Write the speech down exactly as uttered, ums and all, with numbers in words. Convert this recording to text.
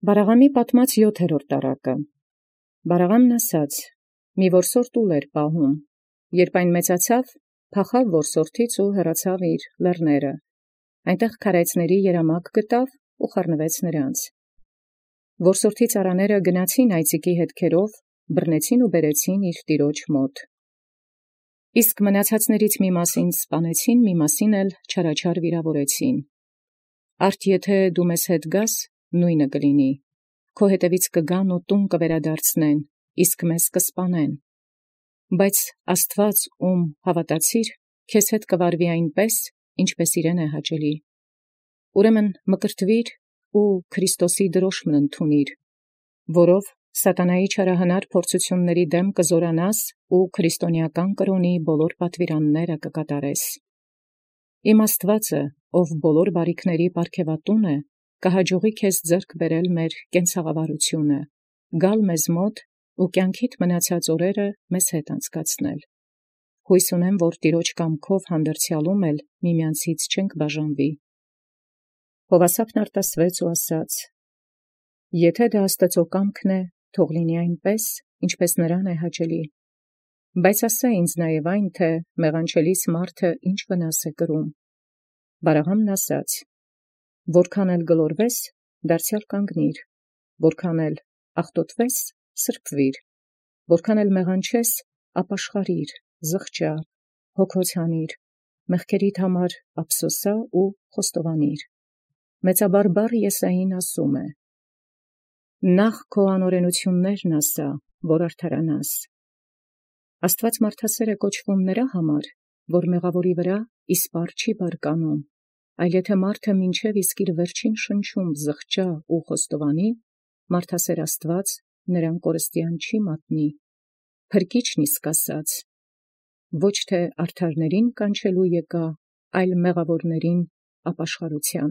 Բարաղամի պատմած յոթերորդ տարակը։ Բարաղամն ասաց. մի որսորդ ուլ պահում, երբ այն մեծացավ, փախավ որսորդից ու հեռացավ իր լեռները, այնտեղ քարայծների երամակ գտավ ու խառնվեց նրանց։ Որսորդի ծառաները գնացին այծիկի հետքերով, բռնեցին ու բերեցին իր տիրոջ մոտ։ Իսկ մնացածներից մի մասին սպանեցին, մի մասին էլ չարաչար վիրավորեցին։ Արդ եթե դու մեզ հետ գաս, նույնը կլինի, քո հետևից կգան ու տուն կվերադարձնեն, իսկ մեզ կսպանեն։ Բայց Աստված, ում հավատացիր, քեզ հետ կվարվի այնպես, ինչպես իրեն է հաճելի։ Ուրեմն մկրտվիր ու Քրիստոսի դրոշմն ընդունիր, որով սատանայի չարահնար փորձությունների դեմ կզորանաս ու քրիստոնեական կրոնի բոլոր պատվիրանները կկատարես։ Իմ Աստվածը, ով բոլոր բարիքների պարգևատուն է, կհաջողի քեզ ձեռք բերել մեր կենցաղավարությունը, գալ մեզ մոտ ու կյանքիդ մնացած օրերը մեզ հետ անցկացնել։ Հույս ունեմ, որ Տիրոջ կամքով հանդերձյալում էլ միմյանցից չենք բաժանվի։ Հովասապն արտասվեց ու ասաց. Եթե դա Աստծո կամքն է, թող լինի այնպես, ինչպես նրան է հաճելի։ Բայց ասա ինձ նաև այն, թե մեղանչելիս մարդը ինչ վնաս է կրում։ Բարաղամն ասաց. որքան էլ գլորվես, դարձյալ կանգնիր, որքան էլ աղտոտվես, սրբվիր, որքան էլ մեղանչես, ապաշխարիր, զղջա, հոգոց հանիր, մեղքերիդ համար ափսոսա ու խոստովանիր։ Մեծաբարբառ Եսային ասում է. նախ քո անօրենություններն ասա, որ արդարանաս։ Աստված մարդասեր է կոչվում նրա համար, որ մեղավորի վրա իսպառ չի բարկանում, այլ եթե մարդը մինչև իսկ իր վերջին շնչում զղջա ու խոստովանի, մարդասեր Աստված նրան կորստյան չի մատնի, փրկիչն իսկ ասաց. ոչ թե արդարներին կանչելու եկա, այլ մեղավորներին ապաշխարության։